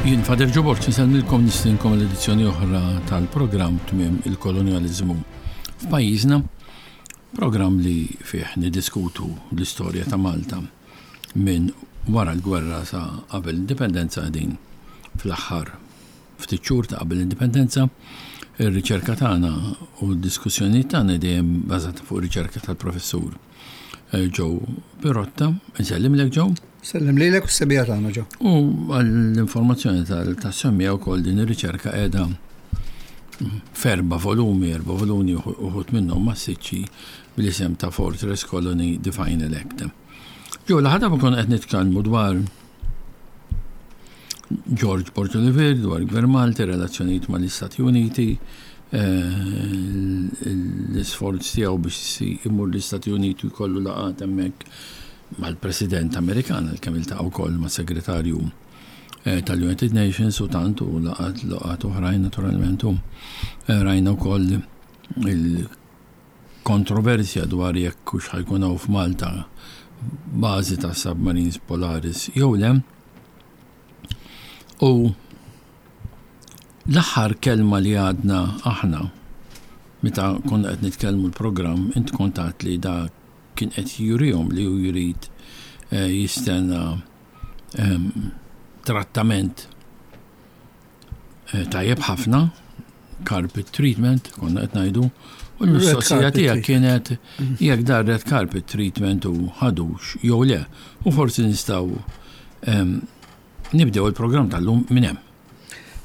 Jien Fader Ġoborġ nsellmilkom nistinkom l-edizzjoni oħra tal-programm Tmiem il-Kolonjaliżmu f'pajjiżna, programm li fih niddiskutu l-istorja ta' Malta minn wara l-gwerra sa qabel l-indipendenza qegħdin fl-aħħar ftit xhur ta' qabel l-indipendenza. Ir-riċerka tagħna u d-diskussjonijiet tagħna dejjem bażata fuq riċerka tal-professur eh, Joe Pirotta. Insellimlek Joe. Sellem lilek u s-sebija tagħna Joe. U għall-informazzjoni tas-semmija wkoll din ir-riċerka qiegħda f'erba' volumi, erba' volumi uħud minnhom massiċċi bl-isem ta' Fortress Colony The Final Act. Joe, l-ħadha konna qed nitkellmu dwar George Borg Olivier dwar Gvern Malti, relazzjonijiet mal-Istati Uniti, eh, l-isforz tiegħu biex imur l-Istati Uniti jkollu laqgħat hemmhekk mal-President Amerikan, kemm iltaqa' wkoll mas-Segretarju eh, tal-United Nations u tant u laqgħat laqgħat oħrajn naturalment u eh, rajna wkoll il kontroversja dwar jekk hux ħa jkun hawn f'Malta bażi ta' submarines Polaris jew le. U l-aħħar kelma li għadna aħna meta konna qed nitkellmu l-programm int kont għedt li da kien qed jurihom li hu jrid eh, jistenna ehm, trattament Eh, tajjeb ħafna, carpet treatment, konna qed ngħidu, u l-mistoqsija tiegħek kienet jekk dar red carpet treatment u ħadux jew le. U forsi nistgħu ehm, nibdew il-programm tal-lum minn hemm.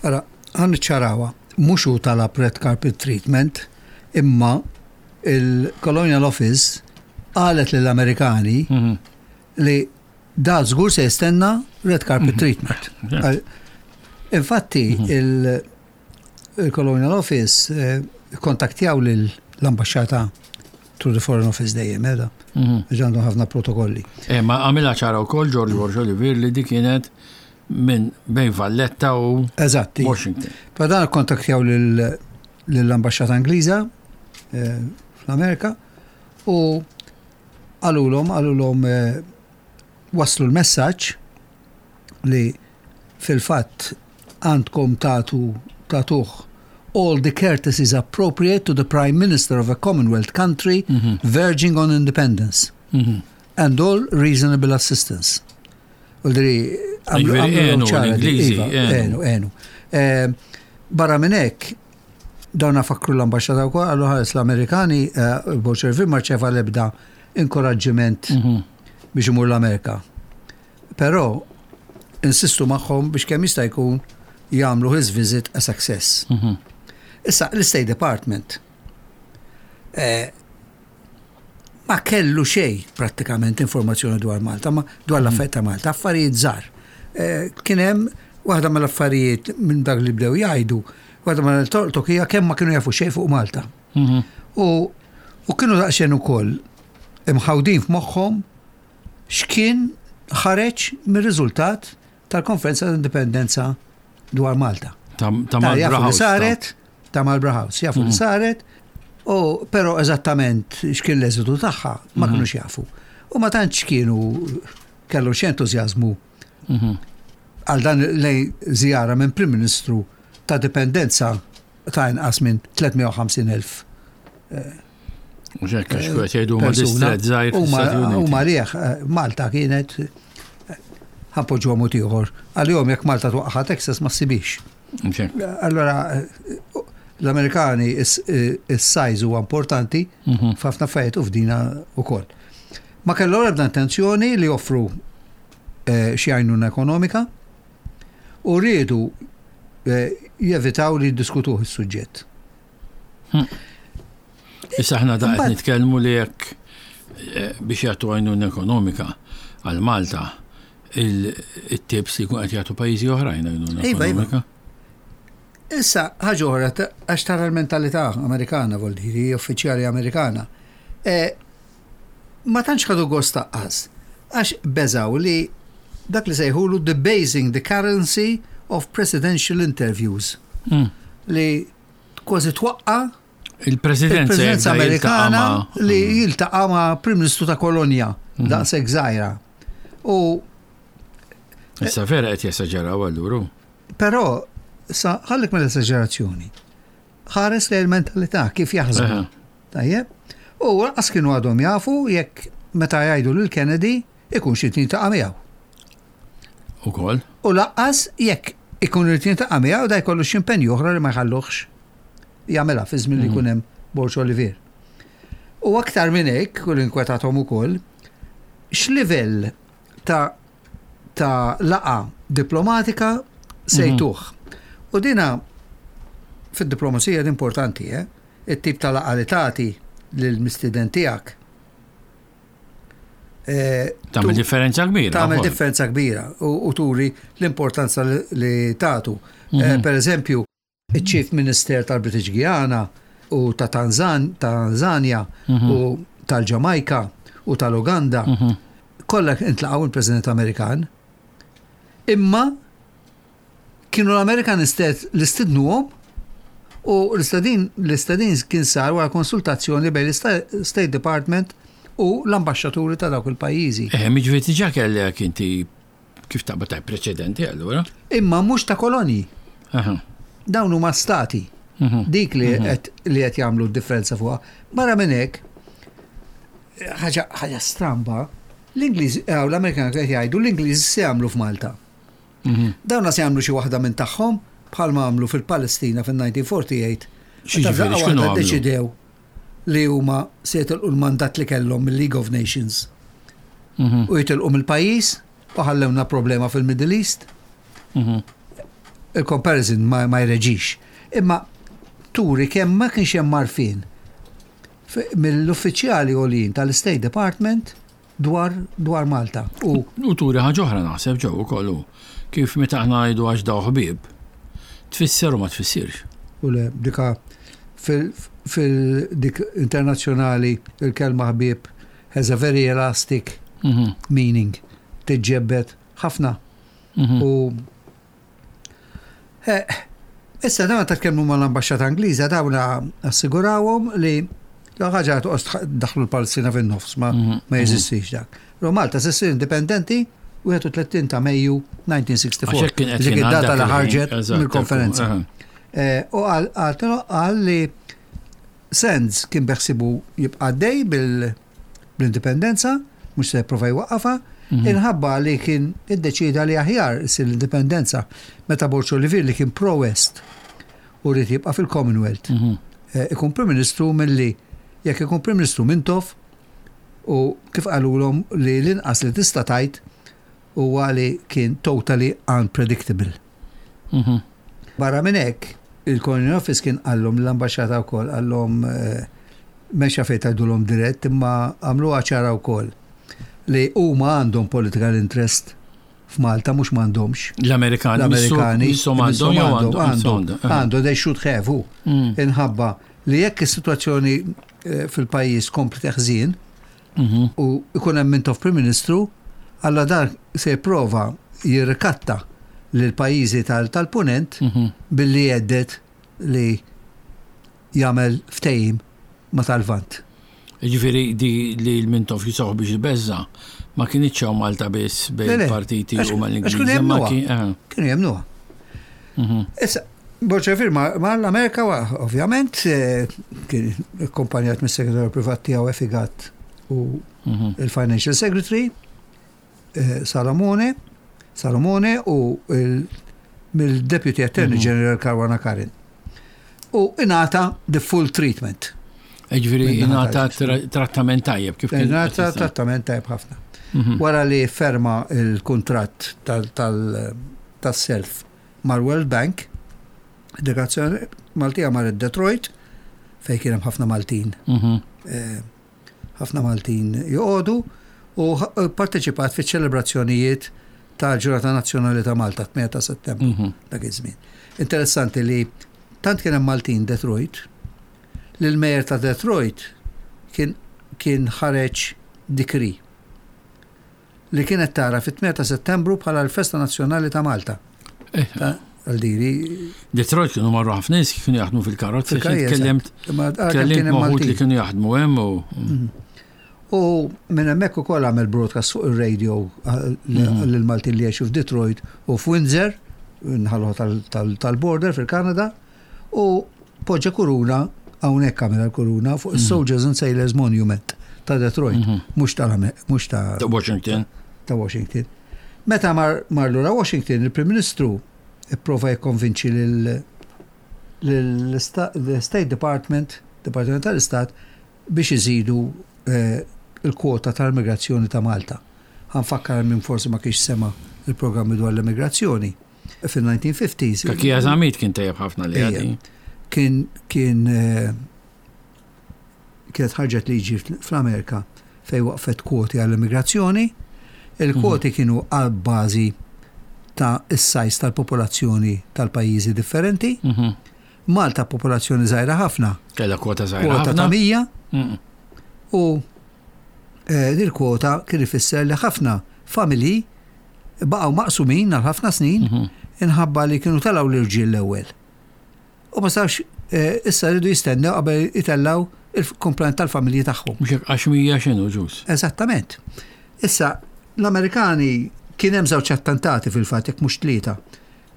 Ara, ħan ċarawa, mhux hu talab red carpet treatment, imma il-Colonial Office qalet lill-Amerikani mhm. li Da żgur se jistenna red carpet mhm. treatment. Infatti, mhm. il-Colonial Office eh, kontaktjaw l-ambasċata through the Foreign Office dejjem, edha. Mhm. Ġandu ħafna protokolli. Eh, ma għamilha ċara wkoll George Borg Olivier li di kienet minn bejn Valletta u Eżatti. Washington. Pa dan kontaktjaw lill-ambasċata Ingliża eh, fl-Amerika u Qalulhom, qalulhom wasslu l-messaġġ li fil-fatt għandkom tagħtu tagħtuh all the courtesies appropriate to the Prime Minister of a Commonwealth country mm -hmm. verging on independence mm -hmm. and all reasonable assistance. Uldri, għamlu ċara. Iva, enu, enu. Eh, barra minn hekk, Dawna fakkru l-ambaxxata wkoll qalu ħares l-Amerikani eh, Bolshevi ma rċeva l-ebda inkoraġġiment mhm. biex imur l-Amerika. Però insistu magħhom biex kemm jista' jkun jagħmlu his visit a success. Mhm. Issa l-State Department eh, ma kellu xejn prattikament informazzjoni dwar Malta, ma dwar mm. l-affarijiet ta' Malta, affarijiet żgħar. Eh, kien hemm waħda mill-affarijiet minn dak li bdew jgħidu, waħda mill-tolqtok hija kemm ma kienu jafu xejn fuq Malta. Mhm. U u kienu daqsxejn ukoll imħawdin f'moħħhom x'kien ħareġ mir-riżultat tal-Konferenza tal-Indipendenza dwar Malta. Ta' Marlborough House. Saret, ta' Marlborough House, jafu li mhm. saret, u però eżattament x'kien l-eżitu tagħha ma mhm. kinux jafu. U ma tantx kienu kellu xi entużjażmu mhm. għal dan lej żjara minn Prim Ministru ta' dipendenza ta' inqas minn 350,000 eh, Mhux hekk għax qed jgħidu huma distret żgħir. Huma lih eh, Malta kienet eh, ħanpoġġuha mod ieħor. Għalihom jekk Malta twaqqaħa Texas ma ssibix. Allora eh, l-Amerikani is-size huwa importanti mhm. f'ħafna affarijiet u f'dina wkoll. Ma kellhom ebda intenzjoni li joffru xi għajnuna ekonomika u riedu jevitaw li jiddiskutuh is-suġġett. Hm. Issa aħna da qed nitkellmu li jekk eh, biex jagħtu għajnuna ekonomika għal Malta il-tips li jkun qed jagħtu pajjiżi oħrajn għajnuna iva, iva. ekonomika. Issa, ħaġa oħra, għax tara l-mentalità Amerikana, vol diri, uffiċjali Amerikana. E, ma tantx ħadu gost taqqas, għax beżaw li dak li sejħulu debasing the currency of presidential interviews. Hmm. Li kważi twaqqa il-presidenza Amerikana li mm. jiltaqa' ma' Prim Ministru ta' kolonja mm. daqshekk żgħira. U Issa vera qed jesaġeraw alluru. Però, sa ħallik mill-esaġerazzjoni. Ħares lejn il-mentalità kif jaħsbu. Tajjeb? U lanqas kienu għadhom jafu jekk meta jgħidu lil Kennedy ikun xi jiltaqa' miegħu. Ukoll. U lanqas jekk ikun irid jiltaqa' miegħu da jkollu xi impenji oħra li ma jħalluhx jagħmilha fi żmien li jkun hemm Borg Olivier. U aktar minn hekk, u l-inkwetathom ukoll, x'livell ta' ta' laqgħa diplomatika se jtuh. U dina fid-diplomazija importanti, eh? It-tip ta' laqgħa li tagħti lill-mistieden tiegħek. Tagħmel differenza kbira. Tagħmel differenza kbira u turi l-importanza li tagħtu. Per eżempju, iċ-Chief Minister tal-British Guiana u ta' Tanzania u tal-Ġamajka u tal-Uganda kollha intlaqgħu il-President Amerikan. Imma kienu l-Amerikan stess li stidnuhom u l-istedin l-istedin kien sar wara konsultazzjoni bejn l-State Department u l-ambaxxaturi ta' dawk il-pajjiżi. Jiġifieri diġà kellek inti kif taqbad ta' preċedenti allura. Imma mhux ta' kolonji. Dawn huma stati. Dik li qed li qed jagħmlu d-differenza fuqha. Barra minn hekk, ħaġa ħaġa stramba, l-Ingliż, l-Amerikani qed jgħidu l-Ingliżi se jagħmlu f'Malta. Dawna se jagħmlu xi waħda minn tagħhom bħalma għamlu fil-Palestina fil-1948. Xi ġifieri, x'kienu għamlu? Deċidew li huma se jitilqu l-mandat li kellhom mill-League of Nations. U jitilqu mill-pajjiż u ħallewna problema fil-Middle East. Il-comparison ma jreġix. Imma turi kemm ma kienx hemm għarfien mill-uffiċjali għoljin tal-State Department dwar Malta. U U turi ħaġa oħra naħseb ġew ukoll hu. Kif meta aħna ngħidu għax daw ħbieb, tfisser u ma tfissirx. U le, dika fil-dik internazzjonali il-kelma ħbieb has a very elastic meaning. Tiġġebbed ħafna. U issa dawn ta' tkellmu mal-ambaxxata Ingliża dawn assigurawhom li la ħaġa toqgħod daħlu l-Palestina fin-nofs ma jeżistix dak. Ro Malta se ssir indipendenti 31 ta' Mejju 1964. Għax hekk kien qed Dik jingħad id-data dak li il-ħin, ħarġet mill-konferenza. U qal li Sands kien beħsibu jibqa' dej bil-indipendenza, mhux se jipprova jwaqqafha, inħabba li kien iddeċida li aħjar issir l-indipendenza meta Borg Olivier li kien pro-West u ried jibqa' fil-Commonwealth. Ikun Prim Ministru milli jekk ikun Prim Ministru Mintoff u kif qalulhom li l-inqas li tista' tajt huwa li kien totally unpredictable. Barra minn hekk, il-Colonial Office kien qallhom l-ambaxxata wkoll qallhom m'hemmx fejn tgħidulhom dirett imma għamluha ċara wkoll li huma għandhom political interest f'Malta mhux m'għandhomx. L-Amerikani. L-Amerikani. Misshom għandhom jew għandhom. Għandhom, they should have. Inħabba li jekk is-sitwazzjoni fil-pajjiż kompli teħżien u ikun hemm Mintoff Prim Ministru, alla dar se jipprova jirrikatta lil pajjiżi tal-punent billi jgħedded li jagħmel ftehim ma tal-Lvant. Ġifieri di li l-Mintoff jisoħ biex jbeżza ma kinitx hawn Malta biss bejn partiti u mal-Ingliżi. Kienu jemmnuha. Kienu jemmnuha. Issa, Borg Olivier ma l-Amerika, ovvjament, kien akkompanjat mis-segretarju privat tiegħu Effie Gatt u il-Financial Secretary Salomone u mill-Deputy Attorney General Caruana Karin. U ingħata the full treatment. Ġifieri ingħata trattament tajjeb kif kien. Ingħata trattament tajjeb ħafna. Wara li ferma il-kuntratt tas-self mal-World Bank, delegazzjoni Maltija marret Detroit, fej kien hemm ħafna Maltin. Ħafna Maltin joqogħdu u parteċipat fiċ-ċelebrazzjonijiet tal-Ġurnata Nazzjonali ta' Malta 8 ta' Settembru dak iż-żmien. Interessanti li tant kien hemm Maltin Detroit li l-mayor ta' Detroit kien ħareġ decree li kienet tara fit-8 ta' Settembru bħala l-Festa Nazzjonali ta' Malta. Għaldiri. Detroit kienu marru ħafna nies kienu jaħdmu fil-karozzi, tkellimt tkellimt ma' li kienu jaħdmu hemm u. U minn hemmhekk ukoll għamel broadcast fuq ir-radio lil Maltin li jgħixu f'Detroit u f'Windsor. nħallu tal-border fil-Kanada u poġġa kuruna hawnhekk għamilha l-kuruna fuq is-Soldiers and Sailors Monument ta' Detroit, mhux ta' mhux ta' Ta' Washington. Ta' Washington. Meta mar mar lura Washington, il-Prim Ministru ipprova jikkonvinċi lil l-State Department, Departiment tal-Istat, biex iżidu l-kwota tal-immigrazzjoni ta' Malta. Ħa nfakkar min forsi ma kienx sema' il-programmi dwar l-immigrazzjoni. Fil-1950s. Kakija Zamit kien tajjeb ħafna li għadi. Kien kien kienet ħarġet liġi fl-Amerika fej waqfet kwoti għall-immigrazzjoni. Il-kwoti kienu għal bażi ta' is-sajs tal-popolazzjoni tal-pajjiżi differenti. Malta popolazzjoni żgħira ħafna. Kellha kwota żgħira Kwota ta' 100. U eh, dil kwota kien ifisser li ħafna familji baqgħu maqsumin għal ħafna snin inħabba li kienu telgħu l-irġiel l-ewwel. U ma sarx eh, issa rridu jistennew qabel itellaw il-komplement tal-familji tagħhom. Mhux hekk għax 100 x'inhu ġus. Eżattament. Issa, l-Amerikani kien hemm żewġ attentati fil-fatt jekk mhux tlieta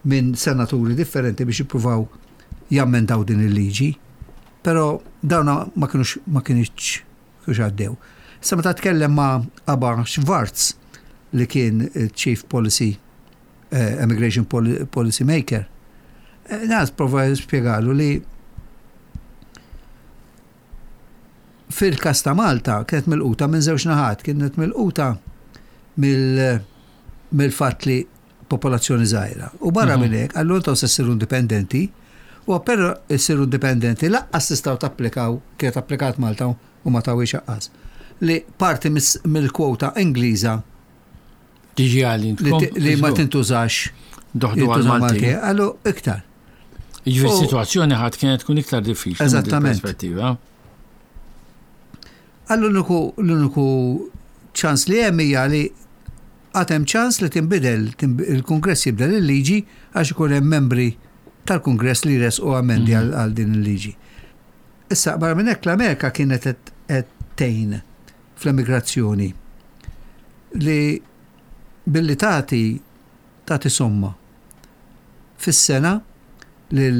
minn senaturi differenti biex jippruvaw jammendaw din il-liġi, però dawna ma kienux ma kienx kienx għaddew. Issa meta tkellem ma' Aba Schwartz li kien Chief Policy Immigration Policy Maker, nas prova jispjegalu li fil-kas ta' Malta kienet milquta minn żewġ naħat, kienet milquta mill-fatt li popolazzjoni żgħira. U barra minn hekk, allura intom se ssiru indipendenti, u appena ssiru indipendenti laqqas tistgħu tapplikaw, kienet applikat Malta u ma tawhiex aqqas, li parti mill-kwota Ingliża tiġi għal li ma tintużax doħdu għal Malti. Għallu iktar. Jiġifieri s-sitwazzjoni ħadd kienet tkun iktar diffiċli. Eżattament. Perspettiva. Għallu l-uniku ċans li hemm hija li għad hemm ċans li tinbidel, il-Kungress jibdel il-liġi għax ikun hemm membri tal-Kungress li jressqu amendi għal din il-liġi. Issa, barra minn hekk l-Amerika kienet qed tgħin fl-emigrazzjoni li billi tagħti tagħti somma fis-sena lil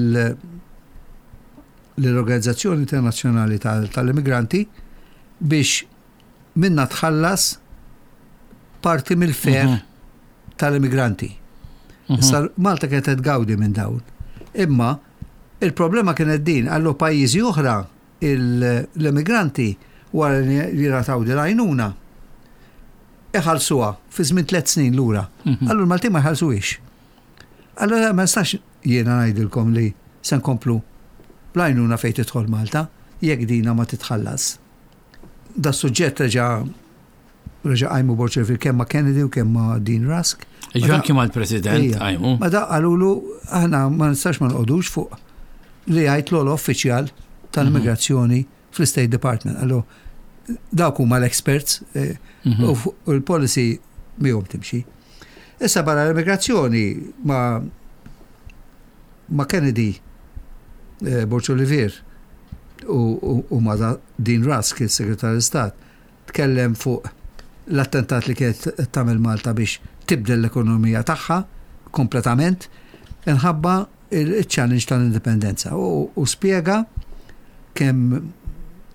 l-Organizzazzjoni Internazzjonali tal-Immigranti biex minna tħallas parti mill-fare tal-immigranti. Issa Malta kienet qed tgawdi minn dawn. Imma il-problema kienet din, għallu pajjiżi oħra l-immigranti wara li jingħataw din l-għajnuna iħallsuha fi żmien 3 snin lura. Allura l-Maltin ma jħallsuhiex. Allura ma nistax jiena ngħidilkom li se nkomplu bl-għajnuna fejn tidħol Malta jekk dina ma titħallas. Da suġġett reġa' reġa' qajmu Borg Olivier kemm ma' Kennedy u kemm ma' Dean Rusk. Ġifieri anki mal-President qajmu. Ma da qalulu aħna ma nistax ma nqogħdux fuq li jgħid l-ogħla uffiċjal tal-immigrazzjoni fl-State Department. Allu dawk huma l-experts u l-policy miegħhom timxi. Issa barra l-immigrazzjoni ma' Kennedy, Borg Olivier u ma' Dean Rusk, il-Segretarju Stat, tkellem fuq l-attentat li kienet tagħmel Malta biex tibdel l-ekonomija tagħha kompletament inħabba il-challenge tal-indipendenza u spjega kemm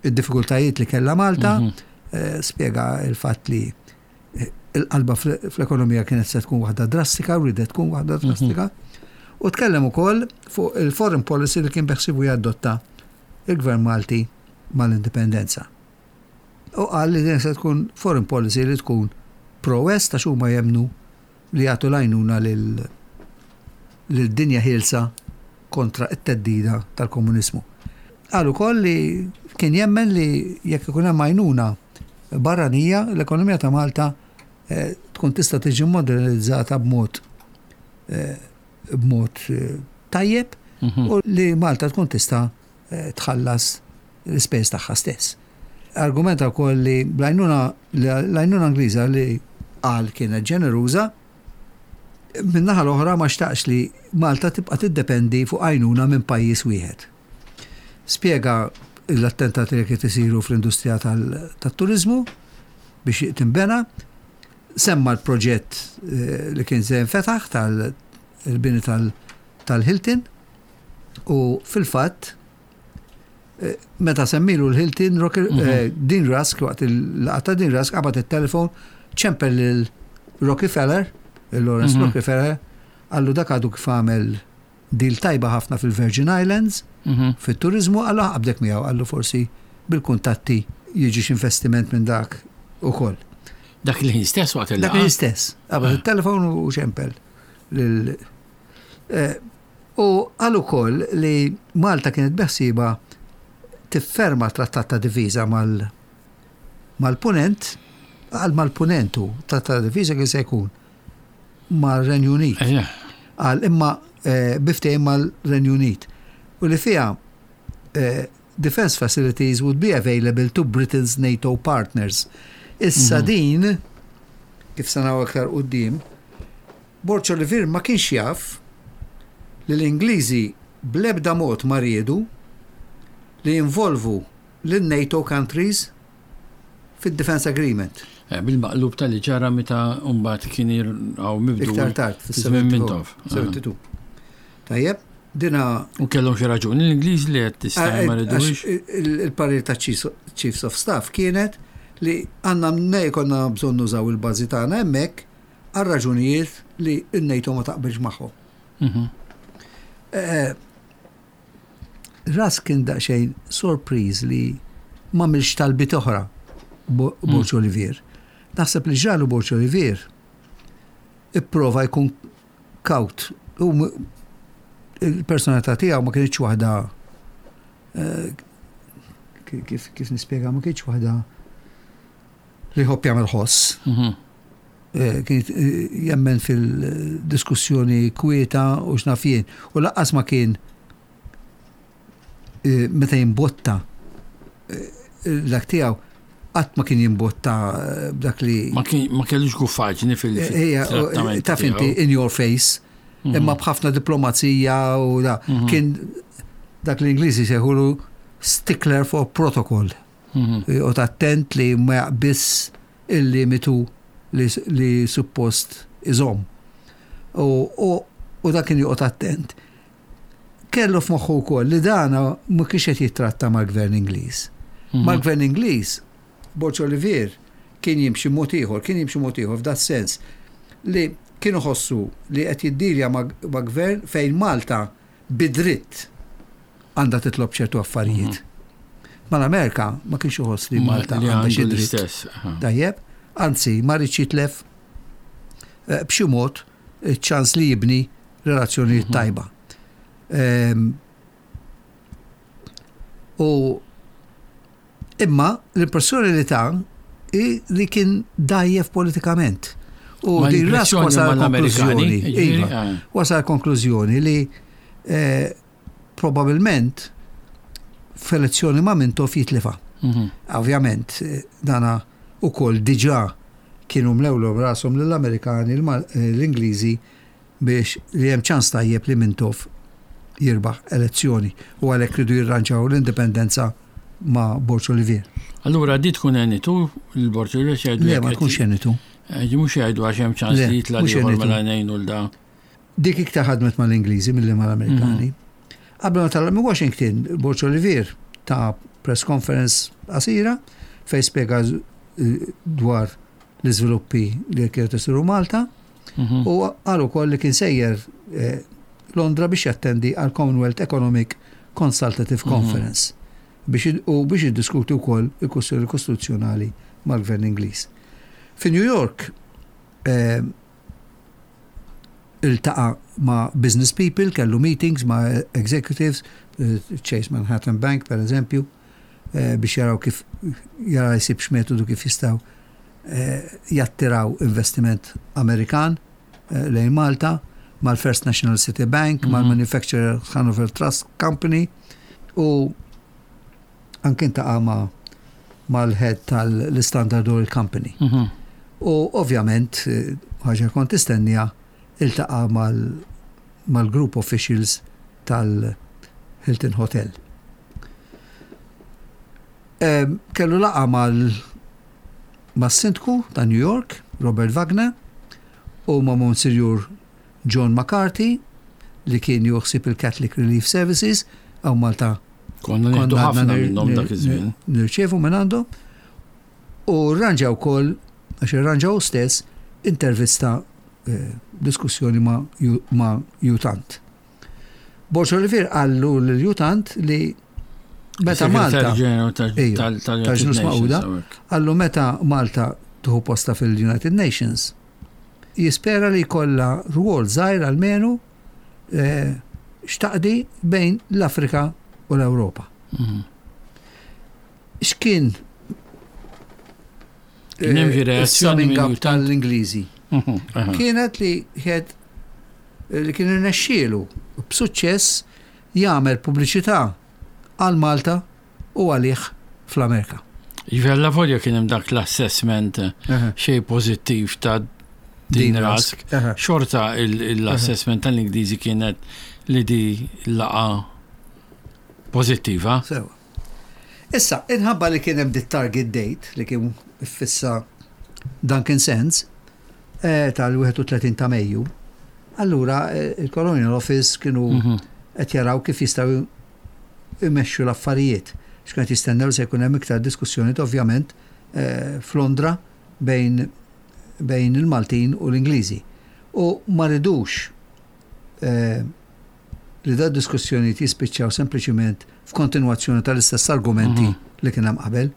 id-diffikultajiet li kellha Malta, spjega il-fatt li il-qalba fl-ekonomija kienet se tkun waħda drastika, u ridet tkun waħda drastika, u tkellem ukoll fuq il-foreign policy li kien beħsibu jadotta il-Gvern Malti mal-indipendenza. U qal li din se tkun foreign policy li tkun pro-West għax huma jemmnu li jagħtu l-għajnuna lil dinja ħielsa kontra t-theddida tal-komuniżmu. Qal ukoll li kien jemmen li jekk ikun hemm għajnuna barranija, l-ekonomija ta' Malta tkun tista' tiġi modernizzata b'mod tajjeb u li Malta tkun tista' tħallas l-ispejjeż tagħha stess. Argumenta wkoll li l-għajnuna Ingliża li qal kienet ġeneruża, min-naħa l-oħra ma xtaqx li Malta tibqa' tiddependi fuq għajnuna minn pajjiż wieħed. Spjega l-attentati li kiet isiru fl-industrija tat-turizmu biex tinbena, semma l-proġett li kien se jinfetaħ. il-bini tal-Hilton u fil-fatt eh, meta semmilu l-Hilton eh, Dean Rusk waqt il-laqgħa ta' Dean Rusk qabad it-telefon ċempel lil Rockefeller, il-Lawrence Rockefeller, qallu dak għadu kif għamel deal tajba ħafna fil-Virgin Islands, fit-turiżmu, qallu ħaqbdek miegħu, qallu forsi bil-kuntatti jiġi investiment minn dak ukoll. Dak il-ħin stess waqt il Dak il-ħin stess. Qabad it-telefon u ċempel. Eh, u qal ukoll li Malta kienet beħsieba tifferma trattat ta' diviża mal mal-punent, għal mal-punent u trattat ta' diviża kien se jkun mar-Renju Unit. Qal imma eh, bi ftehim mal-Renju Unit. U li fiha eh, defense facilities would be available to Britain's NATO partners. Issa mhm. din, kif sanaw aktar quddiem, Borg Olivier ma kienx jaf li l-Ingliżi bl-ebda mod ma riedu li jinvolvu lin-NATO countries fid-Defence Agreement. Eh, bil-maqlub tal-li ġara meta mbagħad kien hawn mibdu. Iktar tard, fis-72. Tajjeb, dina. U kellhom xi raġuni l-Ingliż li qed tista' eh, ma ridux. Il-parir ta' Chiefs of Staff kienet li għandna nej konna bżonn nużaw il-bażi tagħna hemmhekk għal raġunijiet li n-NATO ma taqbilx magħhom. Mhm. Eh, Rusk kien daqsxejn sorpriż li m'għamilx talbiet oħra Borg mm. Olivier. Naħseb li ġralu Borg Olivier ipprova jkun kaut. U il-personalità tiegħu ma kienx waħda eh, kif kif nispjega ma kienx waħda li jħobb jagħmel ħoss. Mhm. Eh, kien eh, jemmen fil-diskussjoni kwieta u x'naf jien. U laqqas ma kien eh, meta jimbotta dak tiegħu qatt ma kien jimbotta b'dak li. Ma kellux guffaġni fil Taf inti in your face, mhm. imma b'ħafna diplomazija u da. Mhm. Kien dak l-Ingliżi sejħulu stickler for protocol. Mhm. U attent li ma jaqbiss il-limitu li, li suppost iżomm. U, u, u dak kien joqgħod attent. Kellu f'moħħu wkoll li dana ma kienx qed jittratta mal-gvern Ingliż. Mhm. Mal-gvern Ingliż, Borg Olivier kien jimxi mod ieħor, kien jimxi mod ieħor f'dat sens li kienu ħossu li qed jiddilja ma' gvern fejn Malta bi dritt għandha titlob ċertu affarijiet. Mhm. Mal-Amerika ma kienx iħoss li Malta għandha xi dritt. Tajjeb, anzi ma rridx jitlef eh, b'xi mod ċans li jibni relazzjonijiet mhm. tajba. Ehm, u Imma l-impressjoni li ta hi li kien dgħajjef politikament. U din Rusk wasal konklużjoni. Iva, eh. wasal konklużjoni li eh, probabilment f'elezzjoni ma' Mintoff jitlifa. Mhm. Ovvjament, eh, dana ukoll diġà kienu mlewlhom rashom lill-Amerikani, l-Ingliżi biex li hemm ċans tajjeb li Mintoff jirbaħ elezzjoni u għalhekk ridu jirranġaw l-indipendenza ma' Borg Olivier. Allura di tkun għenitu l-Borg Olivier xejdu? Le, ma tkunx għenitu. Eh, di mhux jgħidu għax hemm ċans li jitla' ieħor mela ngħinu l da. Dik iktar ħadmet mal-Ingliżi milli mal-Amerikani. Mhm. Qabel ma telaq minn Washington, Borg Olivier ta' press conference qasira fejn spjega eh, dwar l-iżviluppi li kienet isiru Malta mhm. u qal ukoll li kien sejjer eh, Londra biex jattendi għal Commonwealth Economic Consultative mhm. Conference biex u biex jiddiskuti wkoll il-kwestjoni kostituzzjonali mal-Gvern Ingliż. Fi New York eh, iltaqa' ma' business people, kellu meetings ma' executives, eh, Chase Manhattan Bank per eżempju, eh, biex jaraw kif jara jsibx metodu kif jistgħu eh, jattiraw investiment Amerikan eh, lejn Malta, mal-First National City Bank, mm -hmm. mal-Manufacturer Hanover Trust Company u anke intaqa' ma' mal-head tal-Standard Oil Company. Mm -hmm. U ovvjament, eh, ħaġa kont tistennija, iltaqa' mal-group officials tal-Hilton Hotel. Kellu laqgħa mal mas-sindku ta' New York, Robert Wagner, u ma' Monsignor John McCarthy li kien juħsib il-Catholic Relief Services hawn Malta. Konna nieħdu ħafna minnhom dak iż-żmien. Nirċievu minn għandhom. U rranġa wkoll, għax irranġa hu stess, intervista eh, diskussjoni ma' U Tant. Borg Olivier qallu lil U Tant li meta Malta tal-Ġnus Magħquda qallu meta Malta tieħu posta fil-United Nations jispera li jkollha rwol żgħir almenu eh, x'taqdi bejn l-Afrika u l-Ewropa. Mhm. X'kien Kien hemm xi reazzjoni minn tal-Ingliżi? Mhm, Kienet li ħed li kien irnexxielu b'suċċess jagħmel pubbliċità għal Malta u għalih fl-Amerika. Jiġifieri allavolja kien hemm dak l-assessment xejn pożittiv ta' Dean Rusk, xorta l-assessment tal-Ingliżi kienet li di laqgħa pożittiva. Sewa. Issa, inħabba li kien hemm dit-target date li kien iffissa Duncan Sands eh, tal-31 ta' Mejju, allura eh, il-Colonial Office kienu mhm. qed jaraw kif jistgħu imexxu l-affarijiet. X'kien jistennew se jkun hemm iktar diskussjoni ovvjament eh, f'Londra bejn bejn il-Maltin u l-Ingliżi. U ma ridux li da diskussjonijiet jispiċċaw sempliċiment f'kontinwazzjoni tal-istess argumenti mhm. li kien hemm qabel.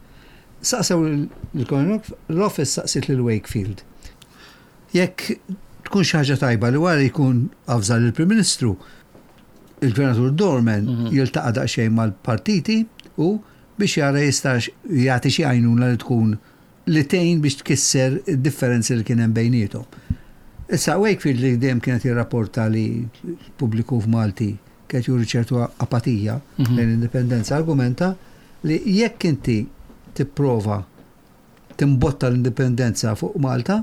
Saqsew l-Office saqsiet lil Wakefield. Jekk tkun xi ħaġa tajba li wara jkun avża lill-Prim Ministru, il-Gvernatur Dorman mhm. jiltaqa' daqsxejn mal-partiti u biex jara jistax jagħti xi għajnuna li tkun li tgħin biex tkisser id-differenzi li kien hemm bejniethom. Issa Wakefield li dejjem kienet jirrapporta li l-pubbliku f'Malti kienet juri ċertu apatija mhm. lejn l-indipendenza, argumenta li jekk inti tipprova timbotta l-indipendenza fuq Malta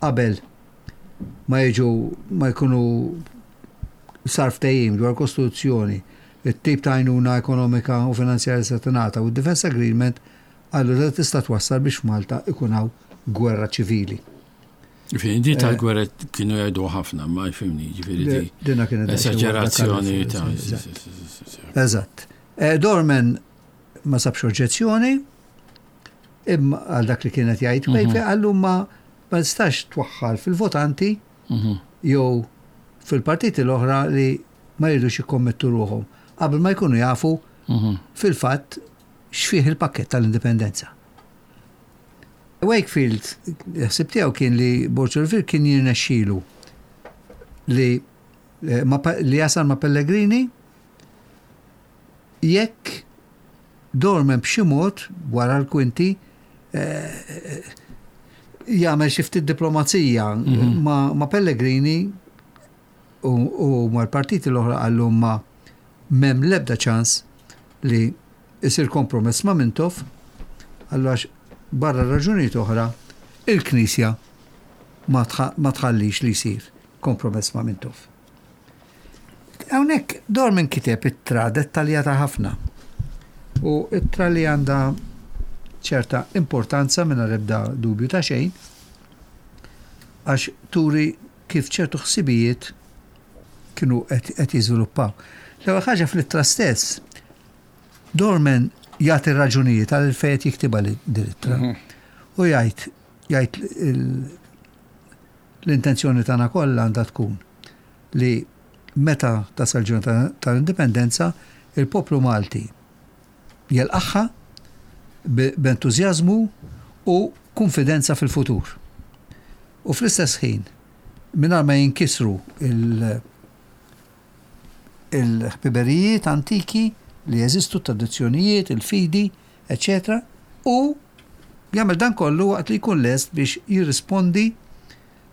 qabel ma jiġu ma jkunu sar ftehim dwar kostituzzjoni, it-tip ta' għajnuna ekonomika u finanzjarja se tingħata u d-Defense Agreement Allura tista' twassal biex f'Malta ikun hawn gwerra ċivili. Ġifieri di tal-gwerra kienu jgħidu ħafna, ma jfimni, ġifieri di. Dina kienet esagerazzjoni ta' Eżatt. Eh, Dorman ma sabx oġġezzjoni, imma għal dak li kienet jgħid mhm. Wakefield għallu ma ma nistax twaħħal fil-votanti mhm. jew fil-partiti l-oħra li ma jridux jikkommettu ruħhom qabel ma jkunu jafu mhm. fil-fatt x'fih il-pakkett tal-Indipendenza. Wakefield, ħsib tiegħu kien li Borg Olivier kien jirnexxilu li eh, li jasal ma' Pellegrini jekk Dorman b'xi mod wara l-kwinti eh, jagħmel xi ftit diplomazija mhm. ma' Pellegrini u mal-partiti l-oħra qallu ma m'hemm l-ebda ċans li jsir kompromess ma' Mintoff, qallu għax barra raġunijiet oħra il-Knisja ma tħallix li jsir kompromess ma' Mintoff. Hawnhekk Dorman kiteb ittra dettaljata ħafna u ittra li għandha ċerta importanza mingħajr ebda dubju ta' xejn għax turi kif ċertu ħsibijiet kienu qed jiżviluppaw. L-ewwel ħaġa fl-ittra stess, Dorman jagħti raġunijiet għal fejn qed jiktibha din l-ittra. Mhm. U jgħid jgħid l-intenzjoni tagħna kollha għandha tkun li meta tasal ġurnata tal-indipendenza, il-poplu Malti jilqagħha b'entużjażmu u kunfidenza fil-futur. U fl-istess ħin, mingħajr ma jinkisru il-ħbiberijiet antiki li jeżistu, t-tradizzjonijiet, il-fidi, eċċetera, u jagħmel dan kollu waqt li jkun lest biex jirrispondi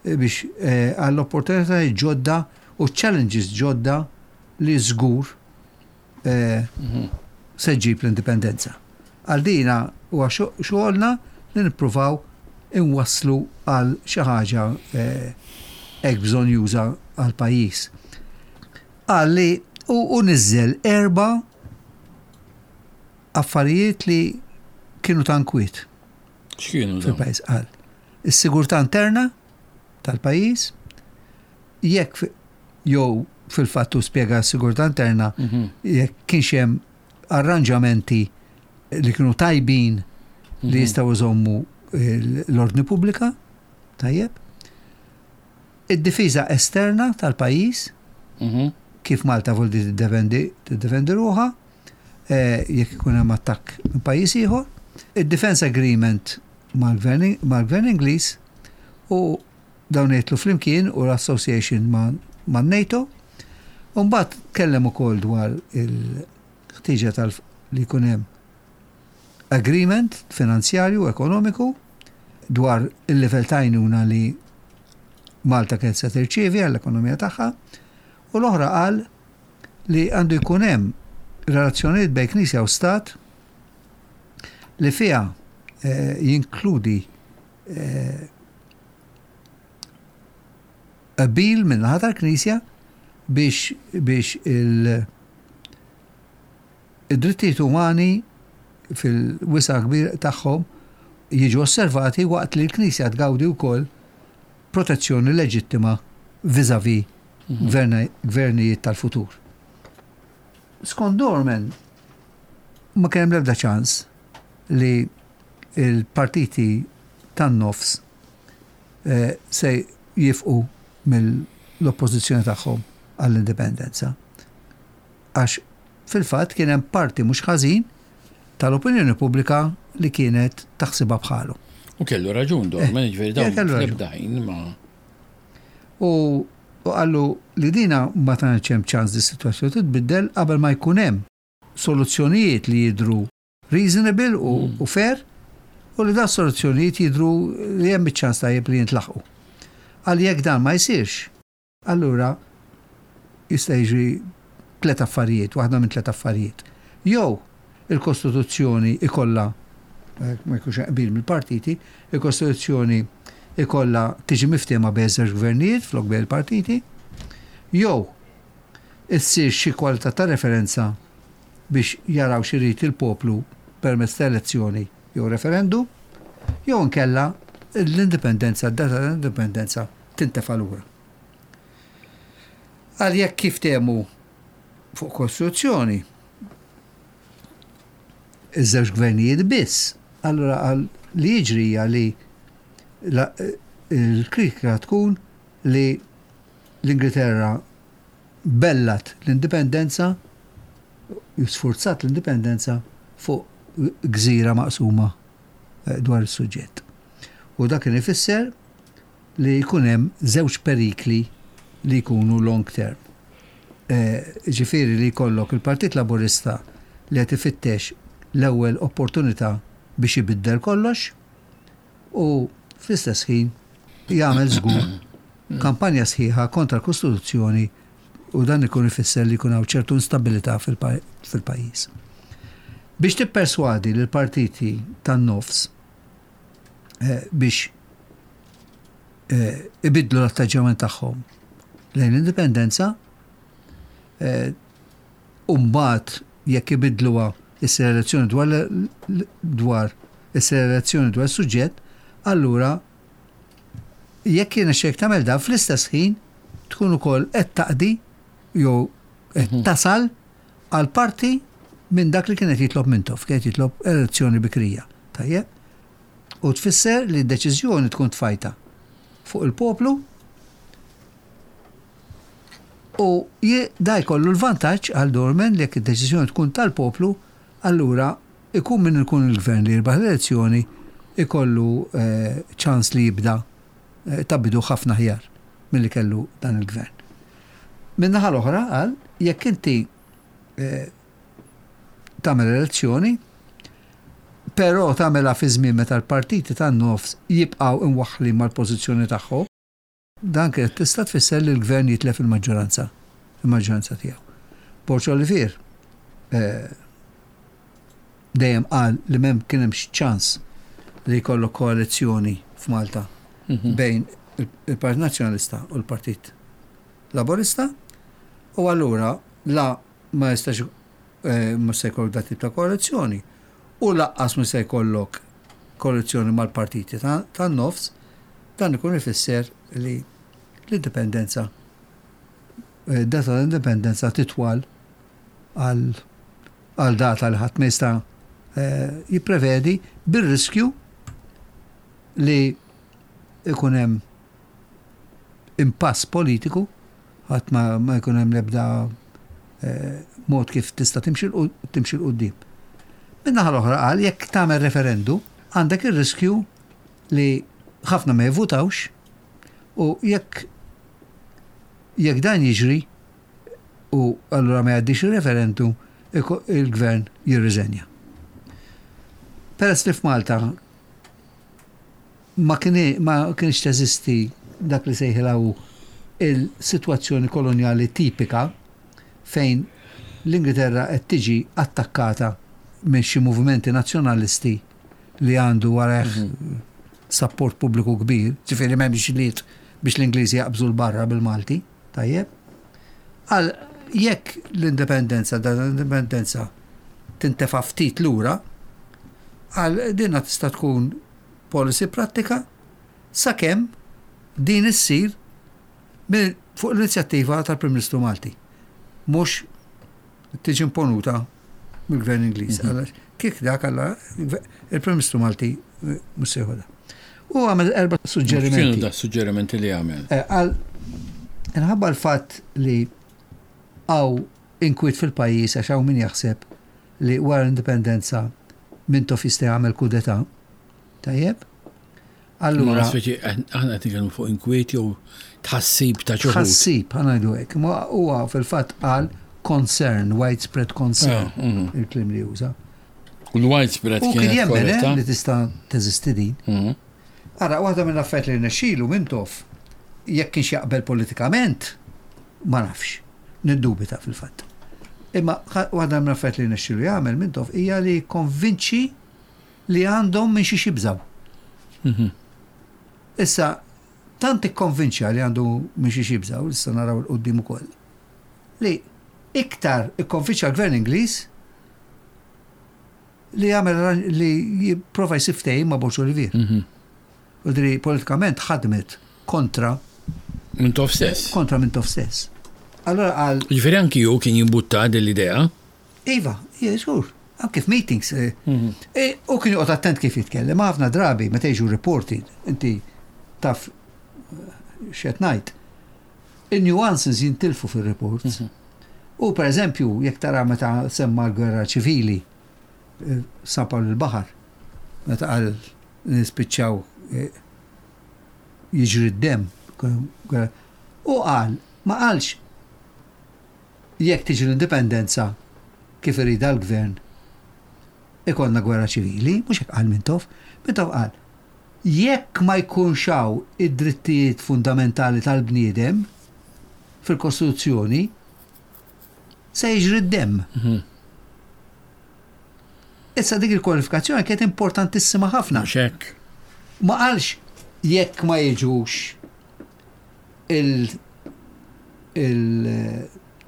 biex eh, għall-opportunitajiet ġodda u challenges ġodda li żgur eh, se ġġib l-indipendenza. Għal dina huwa xogħolna li nippruvaw inwasslu għal xi ħaġa eh, hekk bżonjuża għal pajjiż. Qal li u niżżel erba' affarijiet li kienu ta' nkwiet. X'kienu fil-pajjiż qal. Is-sigurtà interna tal-pajjiż, jekk jew fil-fatt hu spjega s-sigurtà interna jekk kienx hemm arranġamenti li kienu tajbin li jistgħu jżommu l-ordni pubblika, tajjeb. Id-difiża esterna tal-pajjiż, kif Malta voldi tiddefendi ruħha jekk ikun hemm attakk minn pajjiż ieħor. Id-Defence Agreement mal-Gvern Ingliż u dawn jidħlu flimkien u l-association man-NATO. U mbagħad tkellem ukoll dwar il-ħtieġa tal li jkun hemm agreement finanzjarju ekonomiku dwar il-livell ta' għajnuna li Malta kienet se tirċievi għall-ekonomija tagħha. U l-oħra qal li għandu jkun hemm relazzjonijiet bejn Knisja u Stat li fiha jinkludi qbil min-naħa tal-Knisja biex biex il- id-drittijiet umani fil-wisa' kbir tagħhom jiġu osservati waqt li l-Knisja tgawdi wkoll protezzjoni leġittima vis-à-vis gvernijiet tal-futur. Skont Dorman, ma kien hemm l-ebda ċans li l-partiti tan-nofs se jifqu mill-oppożizzjoni tagħhom għall-indipendenza. Għax fil-fatt kien hemm parti mhux ħażin tal-opinjoni pubblika li kienet taħsibha bħalu. U kellu raġun Dorman, jiġifieri dawn fl-ebda ħin ma. U qallu li dina ma tantx hemm ċans li s-sitwazzjoni titbiddel qabel ma jkun hemm soluzzjonijiet li jidhru reasonable u fair u li dawn soluzzjonijiet jidhru li hemm iċ-ċans tajjeb li jintlaħqu. Qal jekk dan ma jsirx, allura jista' jiġri tlet affarijiet, waħda minn tlet affarijiet. Jew il-Kostituzzjoni ikollha, ma jkunx hemm qbil mill-partiti, il-Kostituzzjoni ikollha tiġi miftiehma bejn iż-żewġ gvernijiet flok bejn il-partiti, jew issir xi kwalità ta' referenza biex jaraw x'irid il-poplu permezz ta' elezzjoni jew referendum, jew inkella l-indipendenza, d-data tal-indipendenza tintefa' lura. Għal jekk kif temu fuq Kostituzzjoni, iż-żewġ gvernijiet biss, allura għal li jiġri hija li l-kritika tkun li l-Ingilterra bellat l-indipendenza, sfurzat l-indipendenza fuq gżira maqsuma dwar is-suġġett. U dak kien ifisser li jkun hemm żewġ perikli li jkunu long term. Ġifieri li jkollok il-Partit Laburista li qed ifittex l-ewwel opportunità biex ibiddel kollox u fl-istess ħin jagħmel żgur kampanja sħiħa kontra l-Kostituzzjoni u dan ikun ifisser li jkun hawn ċertu instabilità fil-pajjiż. Biex tipperswadi lill-partiti tan-nofs biex ibiddlu l-atteġġjament tagħhom lejn l-indipendenza, u mbagħad jekk ibiddluha issir elezzjoni dwar dwar issir elezzjoni dwar is-suġġett, allura jekk jirnexxielek tagħmel dan fl-istess ħin tkun ukoll qed taqdi jew qed tasal għal parti minn dak li kien qed jitlob Mintoff, kien qed jitlob elezzjoni bikrija. Tajjeb? U tfisser li d-deċiżjoni tkun tfajta fuq il-poplu u da jkollu l-vantaġġ għal Dorman li jekk id-deċiżjoni tkun tal-poplu, allura ikun min ikun il-gvern li jirbaħ l-elezzjoni ikollu ċans li jibda ta' bidu ħafna aħjar milli kellu dan il-gvern. Min-naħa l-oħra qal jekk inti tagħmel elezzjoni, però tagħmilha fi żmien meta l-partiti tan-nofs jibqgħu imwaħħlin mal-pożizzjoni tagħhom, dan kienet tista' tfisser li l-gvern jitlef il-maġġoranza, il-maġġoranza tiegħu. Borg Olivier dejjem qal li m'hemm kien hemmx ċans li jkollok koalizzjoni f'Malta bejn il-Partit Nazzjonalista u l-Partit Laburista u allura la ma jistax mhux se jkollok dat tip ta' koalizzjoni u laqqas mhux se jkollok koalizzjoni mal-partiti tan-nofs, dan ikun ifisser li l-indipendenza. Data tal-indipendenza titwal għal għal data li ħadd ma jista' jipprevedi bir-riskju li ikun hemm impass politiku, ħadd ma jkun hemm l-ebda mod kif tista' timxi 'l quddiem. Min-naħa l-oħra qal jekk tagħmel referendu għandek ir-riskju li ħafna ma jivvutawx u jekk jekk dan jiġri u allura ma jgħaddix ir-referendum il-gvern jirriżenja. Peress li f'Malta ma kienx teżisti dak li sejħilha hu il-sitwazzjoni kolonjali tipika fejn l-Ingilterra qed tiġi attakkata minn xi movimenti nazzjonalisti li għandu warajh sapport pubbliku kbir, ġifieri m'hemmx ġlied biex l-Ingliżi jaqbżu 'l barra bil-Malti, tajjeb? Għal jekk l-indipendenza, dan l-indipendenza tintefa' ftit lura, għal dinha tista' tkun policy prattika sakemm din issir fuq l-inizjattiva tal-Prim Ministru Malti, mhux tiġi imponuta mill-Gvern Ingliż. Mhm. Kif dak alla il-Prim Ministru Malti mhux se jħodha. U għamel erba' suġġerimenti. X'kienu da suġġerimenti li għamel? Eh, għal inħabba l-fatt li għaw inkwiet fil-pajjiż għax hawn min jaħseb li wara l-indipendenza Mintoff jista' jagħmel kudetà. Tajjeb? Allura. Speċi, aħna qed nitkellmu fuq inkwiet jew tħassib ta' xi Tħassib, ħa ngħidu hekk. Ma huwa fil-fatt qal concern, widespread concern, ah, mhm. il-kliem li juża. U l-widespread kien jemmen eh, li tista' teżisti din. Mhm. Ara, waħda mill-affarijiet li rnexxielu Mintoff, jekk kienx jaqbel politikament, ma nafx. Niddubita fil-fatt. Imma waħda mill-affarijiet li rnexxielu jagħmel Mintoff hija li jikkonvinċi li għandhom minn xiex jibżgħu. Mhm. Issa, tant ikkonvinċa li għandu minn xiex jibżgħu, issa naraw il-qoddim ukoll, li iktar ikkonvinċa l-gvern Ingliż li jagħmel li jipprova jsib ftehim ma' Borg Olivier. Mhm. U dri politikament ħadmet kontra Mintoff stess. Kontra Mintoff stess. Allora għal. Ġifieri anki hu kien jimbutta din l-idea. Iva, żgur. Anke f'meetings. Eh, mhm. eh, u kien joqgħod attent kif jitkellem, ħafna drabi meta jiġu reported, inti taf eh, x'qed ngħid. In-nuances jintilfu fir-reports. Mhm. U per eżempju, jekk tara meta semma l-gwerra ċivili, San Pawl il-Baħar, meta qal nispiċċaw jiġri d-demm, u qal, ma qalx Jekk tiġi l-indipendenza kif iridha l-gvern, ikollna gwerra ċivili, mhux hekk qal Mintoff. Mintoff qal, jekk ma jkunx hawn id-drittijiet fundamentali tal-bniedem fil-Kostituzzjoni, se jiġri d-demm. Mhm. Issa dik il-kwalifikazzjoni kienet importantissima ħafna. Mhux hekk. Ma qalx jekk ma jiġux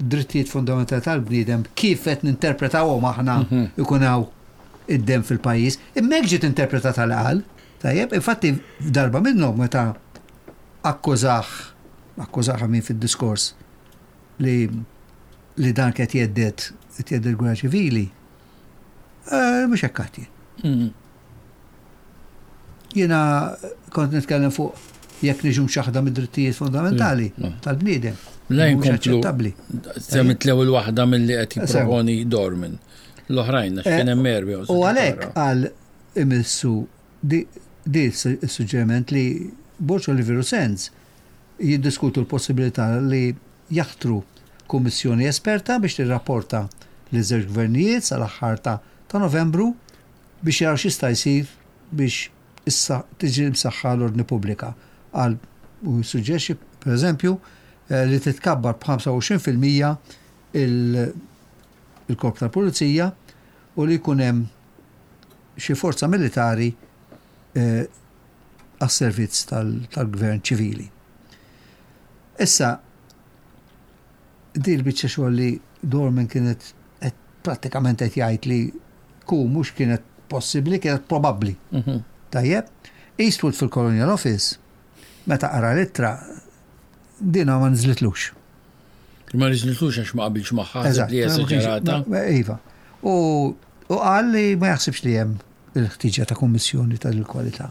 il-drittijiet fundamentali tal-bniedem kif qed ninterpretawhom aħna mhm. ikun hawn id-dem fil-pajjiż. Imma hekk ġiet interpretata l-qal. Tajjeb, infatti darba minnhom meta akkużah akkużah min fid-diskors li li dan qed jeddet qed jeddet gwerra ċivili. Eh, mhux hekk għad jien. Mhm. Jiena kont nitkellem fuq jekk niġu mċaħda mid-drittijiet fundamentali mm. tal-bniedem. Lejn aċċettabbli. Semmit l-ewwel waħda milli qed jipproponi Dorman. L-oħrajn għax kien hemm erbi. U għalhekk għal imissu di suġġeriment li Borġ Oliveru Sens jiddiskutu l-possibilità li jaħtru kummissjoni esperta biex tirrapporta li żewġ gvernijiet sal-aħħar ta' Novembru biex jaraw x'jista' jsir biex issa tiġi msaħħa l-ordni pubblika, qal u jissuġġerixxi, pereżempju, li titkabbar b'25% il-korp tal-pulizija u li jkun hemm xi forza militari għas-servizz tal-gvern ċivili. Issa, di l-biċċa xogħol li Dorman kienet prattikament qed jgħid li ku mhux kienet possibbli, kienet probabbli. Mhm. Tajjeb, Eastwood fil-Colonial Office, meta qara l-ittra, dina ma nżlitlux. Ma riżnitux għax ma qabilx magħha, ħaseb li esaġerata. Iva. U qal li ma jaħsibx li hemm il-ħtiġa ta' kummissjoni tal-kwalità.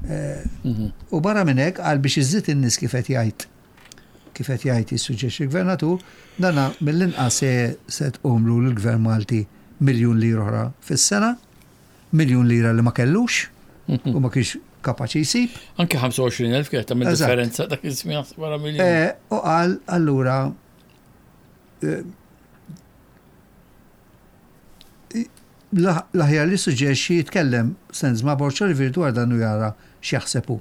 Eh, mhm. U barra minn hekk qal biex iżżid in-nies kif qed jgħid kif qed jgħid jissuġġerixxi l-gvernatur, dana mill-inqas se tqumlu l-gvern Malti miljun lira oħra fis-sena, miljun lira li ma kellux u ma kienx kapaċi jsib. Anke 25,000 kienet tagħmel differenza dak iż-żmien wara miljun. Eh, u qal allura eh, l-aħjar li suġġerixxi jitkellem Sens ma' Borg Olivier dwar dan u jara x'jaħseb hu.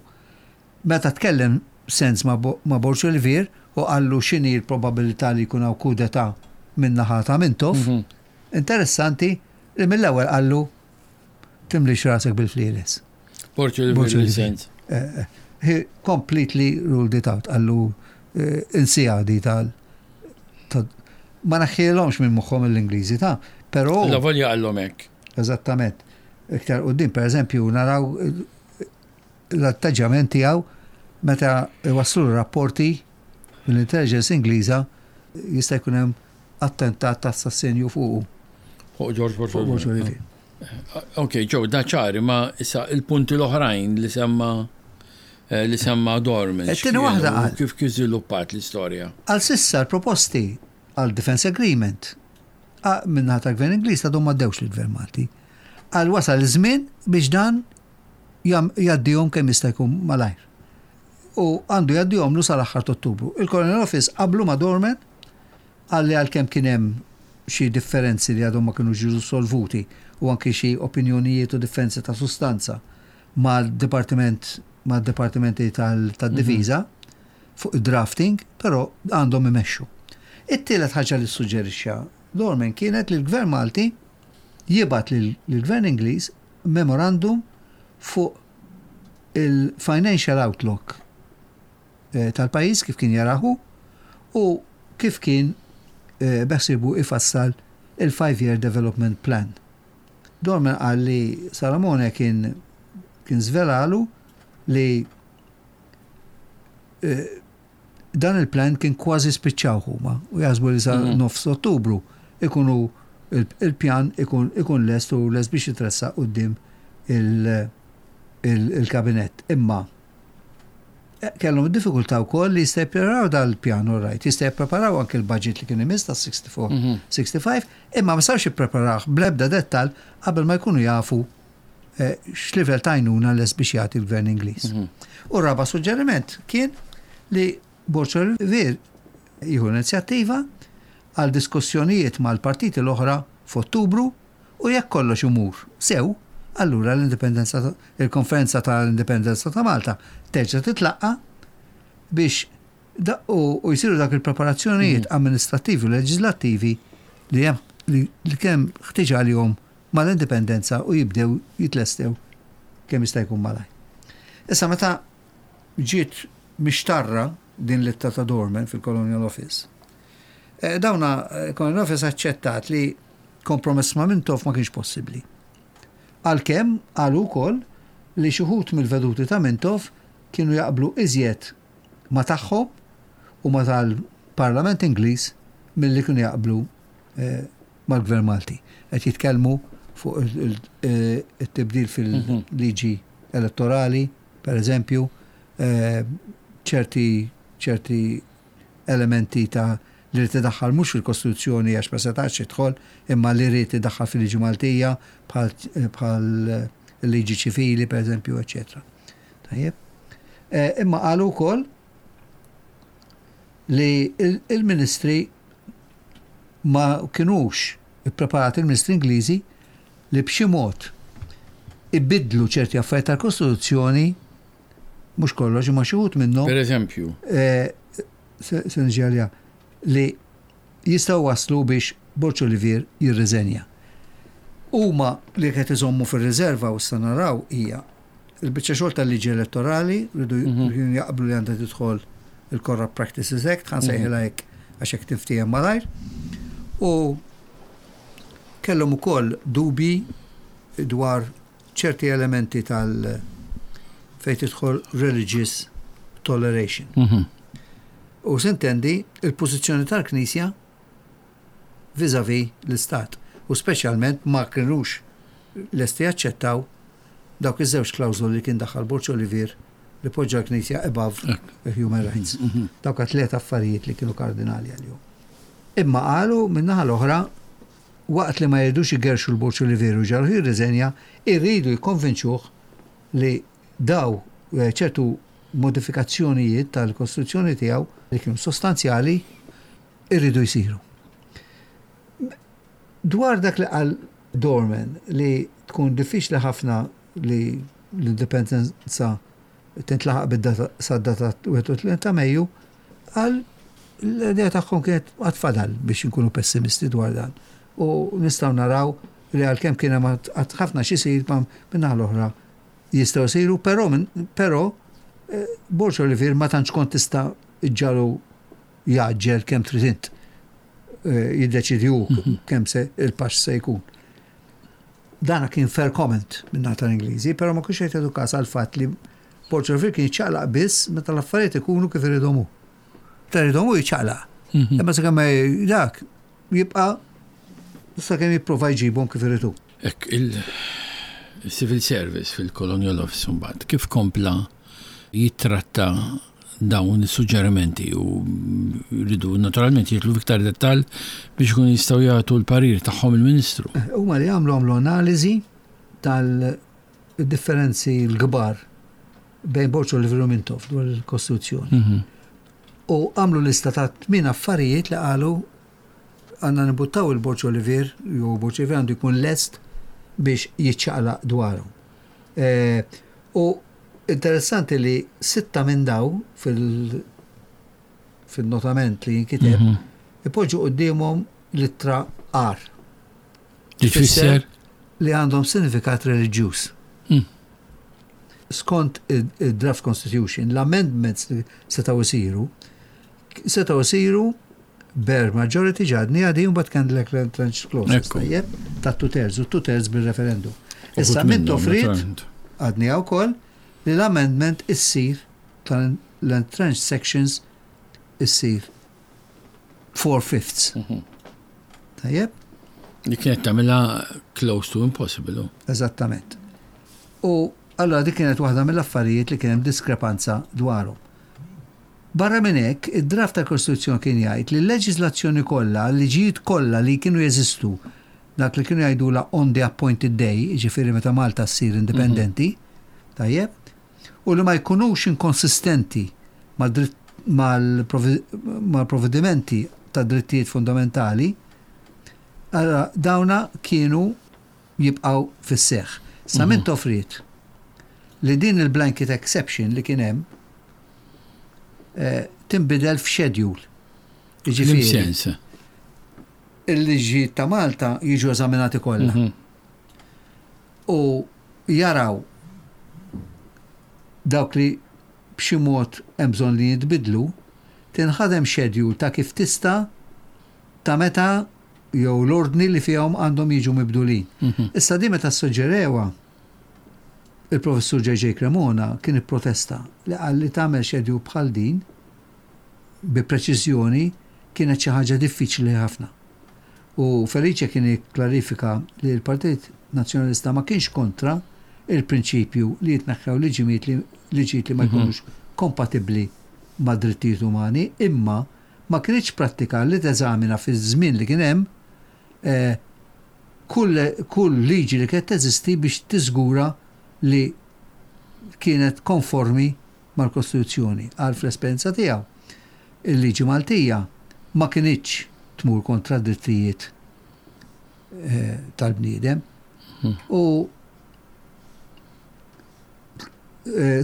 Meta tkellem Sens ma' Borg Olivier u qallu x'inhi l-probabilità li jkun hawn coup d'état min-naħa ta' Mintoff, mhm. interessanti li mill-ewwel qallu timlix rasek bil-flieles. Borg Olivier Sens. Eh, eh, he completely ruled it out, qallu eh, insija di tal ma naħħilhomx minn moħħhom l-Ingliżi ta' però. La volja qallhom hekk. Eżattament. Iktar quddiem, per eżempju, naraw l-atteġġjament tiegħu meta waslu rapporti mill-intelligence Ingliża jista' jkun hemm attentat ta' assassinju fuqu. Fuq George Bush. Ok, ġew da ċari, ma issa il-punti l-oħrajn li semma eh, li semma Dorman. It-tieni waħda qal. Kif kif żviluppat l-istorja? Għal sissa l-proposti għal Defense Agreement minnaħa tal-Gvern Ingliż għadhom ma ddewx lill-Gvern Malti. Għal wasal iż-żmien biex dan jgħaddihom kemm jista' jkun malajr. U għandu jgħaddihomlu sal-aħħar t'Ottubru. Il-Colonial Office qablu ma' Dorman qal li għalkemm kien hemm xi differenzi li għadhom ma kinux ġew solvuti u anki xi opinjonijiet u differenzi ta' sustanza mal-dipartiment mad-dipartimenti tad-difiża fuq id-drafting, però għandhom imexxu. It-tielet ħaġa li ssuġġerixxa Dorman kienet li l-Gvern Malti jibgħat lill-Gvern Ingliż memorandum fuq il-financial outlook eh, tal-pajjiż kif kien jarah hu u kif kien eh, beħsiebu ifassal il-five year development plan. Dorman qal li Salamone kien kien żvelalu li eh, dan il-plan kien kważi spiċċaw huma u jaħsbu li sa mhm. nofs Ottubru ikunu il-pjan ikun ikun lest u lest biex jitressaq quddiem il-kabinett. Imma eh, kellhom id-diffikultà wkoll li jista' jippreparaw dal-pjan all right, jista' jippreparaw anke l-budget li kien imiss ta' 64, 65, mhm. imma ma sarx jippreparawh bl-ebda dettal qabel ma jkunu jafu eh, x'livell ta' għajnuna lest biex jagħti l-gvern Ingliż. Mhm. U raba suġġeriment kien li Borg Olivier jieħu inizjattiva għal diskussjonijiet mal-partiti l-oħra f'Ottubru u jekk kollox imur sew, allura l-indipendenza il-Konferenza tal-Indipendenza ta' Malta terġa' titlaqqa' biex u jsiru dak il-preparazzjonijiet mhm. amministrattivi u leġislattivi li hemm li kemm ħtieġ għalihom mal-indipendenza u jibdew jitlestew kemm jista' jkun malajr. Issa meta ġiet mixtarra din l-ittra ta' Dorman fil-Colonial Office, eh, dawna eh, Colonial Office aċċettat li kompromess ma' Mintoff ma kienx possibbli. Għalkemm qalu wkoll li xi wħud mill-veduti ta' Mintoff kienu jaqblu iżjed ma' tagħhom u ma' tal-Parlament Ingliż milli kienu jaqblu eh, mal-Gvern Malti. Qed jitkellmu fuq it-tibdil fil-liġi elettorali, per eżempju, eh, ċerti ċerti elementi ta' li rrid idaħħal mhux fil-Kostituzzjoni għax ma setax jidħol, imma li rrid idaħħal fil-liġi Maltija bħal liġi ċivili, per eżempju, eċetera. Tajjeb. Eh, imma qalu wkoll li il-ministri ma kinux ippreparati il-ministri Ingliżi li b'xi mod ibiddlu ċerti affarijiet tal-Kostituzzjoni mhux kollox imma xi wħud minnhom. Per eżempju. Eh, se niġi għaliha li jistgħu waslu biex Borg Olivier jirriżenja. Huma li qed iżommu fir-riserva u issa naraw hija il-biċċa xogħol tal-liġi elettorali, rridu mhm. jaqblu li għandha tidħol il-Corrupt Practices Act, ħan sejħilha mhm. hekk għax hekk tinftiehem malajr. U kellhom ukoll dubji dwar ċerti elementi tal fejn tidħol religious toleration. Mhm. U sintendi il-pożizzjoni tal-Knisja vis-à-vis l-Istat. U speċjalment ma kinux lesti jaċċettaw dawk iż-żewġ klawżoli li kien daħħal Borg Olivier li poġġa l-Knisja above human rights. Dawk tliet affarijiet li kienu kardinali għalihom. Imma qalu min-naħa l-oħra waqt li ma jridux igerxu l-Borg Olivier u jġagħluh jirriżenja, irridu jikkonvinċuh li daw ċertu modifikazzjonijiet tal-Kostituzzjoni tiegħu li kienu sostanzjali irridu jsiru. Dwar dak li qal Dorman li tkun diffiċli ħafna li l-indipendenza tintlaħaq bid-data sad-data 31 ta' Mejju, qal l-idea tagħhom kienet għad fadal biex inkunu pessimisti dwar dan. U nistgħu naraw li għalkemm kien hemm għad ħafna x'isir ma min-naħa l-oħra jistgħu jsiru, però però Borg Olivier ma tantx kont tista' iġġagħlu jgħaġġel kemm trid int. Jiddeċidi hu kemm se il-pass se jkun. Dana kien fair comment minn naħa tal-Ingliżi, però ma kienx qed jagħtu każ għall-fatt li Borg Olivier kien jiċċaqlaq biss meta l-affarijiet ikunu kif iridhom hu. Meta jridhom hu jiċċaqlaq. Imma sakemm dak jibqa' sakemm jipprova jġibhom kif irid hu. Hekk il-Civil Service fil-Colonial Office mbagħad kif kompla jittratta dawn is-suġġerimenti u rridu naturalment jidħlu f'iktar dettall biex ikunu jistgħu jagħtu l-parir tagħhom il-Ministru. Huma li għamlu għamlu analiżi tal-differenzi l-kbar bejn Borg Olivier u Mintoff dwar il-Kostituzzjoni. U għamlu lista ta' tmien affarijiet li qalu għandna nibuttaw il-Borg Olivier, jew Borg Olivier għandu jkun lest biex jiċċaqlaq dwarhom. U interessanti li 6 minn daw fil-notament li jinkiteb ipoġġu quddiemhom l-ittra R. Li tfisser? Li għandhom sinifikat reliġjuż. Skont id-draft constitution, l-amendments li setgħu jsiru, setgħu jsiru bare majority ġadni għadi un bat kien l-entrenched clauses, tajjeb, ta' two-thirds, u two-thirds bil-referendum. Issa minn toffrit, għadni għaw kol, li l-amendment issir tal-entrenched sections issir 4/5. Tajjeb? Li kienet tagħmilha close to impossible. Eżattament. U allora dik kienet waħda mill-affarijiet li kien hemm diskrepanza dwarhom. Barra minn hekk, id-draft tal-Kostituzzjoni kien jgħid li l-leġiżlazzjoni kollha, l-liġijiet kollha li kienu jeżistu, dak li kienu jgħidulha on the appointed day, jiġifieri meta Malta ssir indipendenti, tajjeb, u li ma jkunux inkonsistenti mal-provvedimenti tad-drittijiet fundamentali, allura dawna kienu jibqgħu fis-seħħ. Sa Mintoff ried li din il-blanket exception li kien hemm tinbidel f'schedule. Jiġifieri. Sens. Il-liġijiet ta' Malta jiġu eżaminati kollha. U jaraw dawk li b'xi mod hemm bżonn li jitbidlu, tinħadem schedule ta' kif tista' ta' meta jew l-ordni li fihom għandhom jiġu mibdulin. Issa di meta ssuġġerewha il-professur J.J. Cremona kien ipprotesta li qal li tagħmel schedule bħal din bi preċiżjoni kienet xi ħaġa diffiċli ħafna. U Felice kien ikklarifika li l-Partit Nazzjonalista ma kienx kontra il-prinċipju li jitneħħew liġimiet li liġijiet li ma jkunux kompatibbli mad-drittijiet umani, imma ma kinitx prattika li teżamina fiż-żmien li kien hemm kull kull liġi li kienet teżisti biex tiżgura li kienet konformi mal-Kostituzzjoni. Qal fl-esperjenza tiegħu, il-liġi Maltija ma kinitx tmur kontra d-drittijiet tal-bniedem. U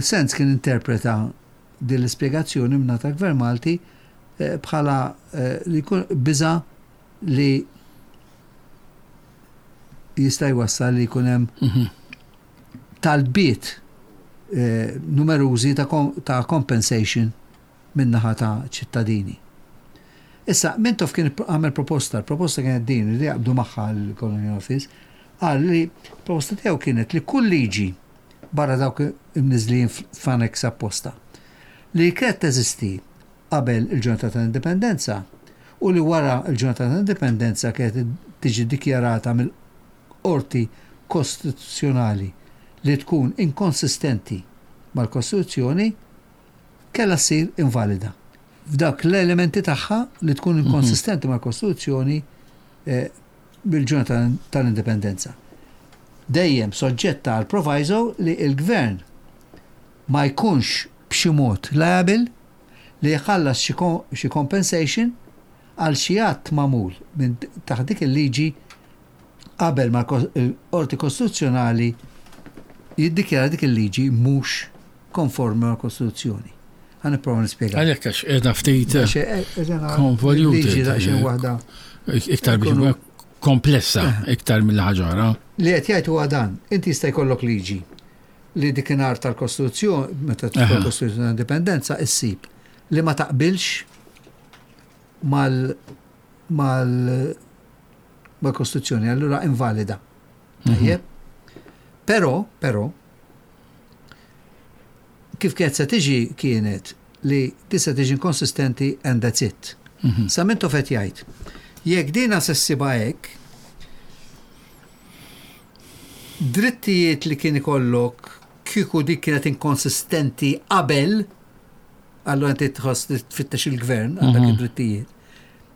Sands kien interpreta din l-ispjegazzjoni minn ta' Gvern Malti bħala li jkun biża' li jista' jwassal li jkun hemm talbiet numerużi ta' compensation min-naħa ta' ċittadini. Issa, Mintoff kien għamel proposta, l-proposta kienet din li jaqbdu magħha l-Colonial Office, qal li proposta tiegħu kienet li kull liġi barra dawk imniżlin f'annex apposta li kienet teżisti. qabel il-ġurnata tal-Indipendenza u li wara l-ġurnata tal-Indipendenza kienet tiġi dikjarata mill-Qorti Kostituzzjonali li tkun inkonsistenti mal-Kostituzzjoni kellha ssir invalida f'dawk l-elementi tagħha li tkun inkonsistenti mal-Kostituzzjoni bil-ġurnata tal-Indipendenza. Dejjem soġġetta għal proviso li l-Gvern ma jkunx b'xi mod liable li jħallas xi compensation għal xi att magħmul minn taħt dik il-liġi qabel ma l-Qorti Kostituzzjonali jiddikjara dik il-liġi mhux konformi mal-Kostituzzjoni. Ħa nipprova nispjega. Għalhekk għax qiegħda ftit konvoluted. Liġi daqsxejn waħda. Iktar biex komplessa iktar mill-ħaġa oħra. Li qed jgħid huwa dan, inti jista' jkollok liġi li dikinhar tal-Kostituzzjoni, meta tidħol Kostituzzjoni tal-Indipendenza, issib li ma taqbilx mal mal mal-Kostituzzjoni, allura invalida. Tajjeb? Però, però, kif kienet se tiġi kienet li tista' tiġi inkonsistenti and that's it. Sa Mintoff qed jgħid, jekk dina se ssibha hekk, drittijiet li kien ikollok kieku dik kienet inkonsistenti qabel, allura inti tħoss li tfittex il-gvern għal dak id-drittijiet.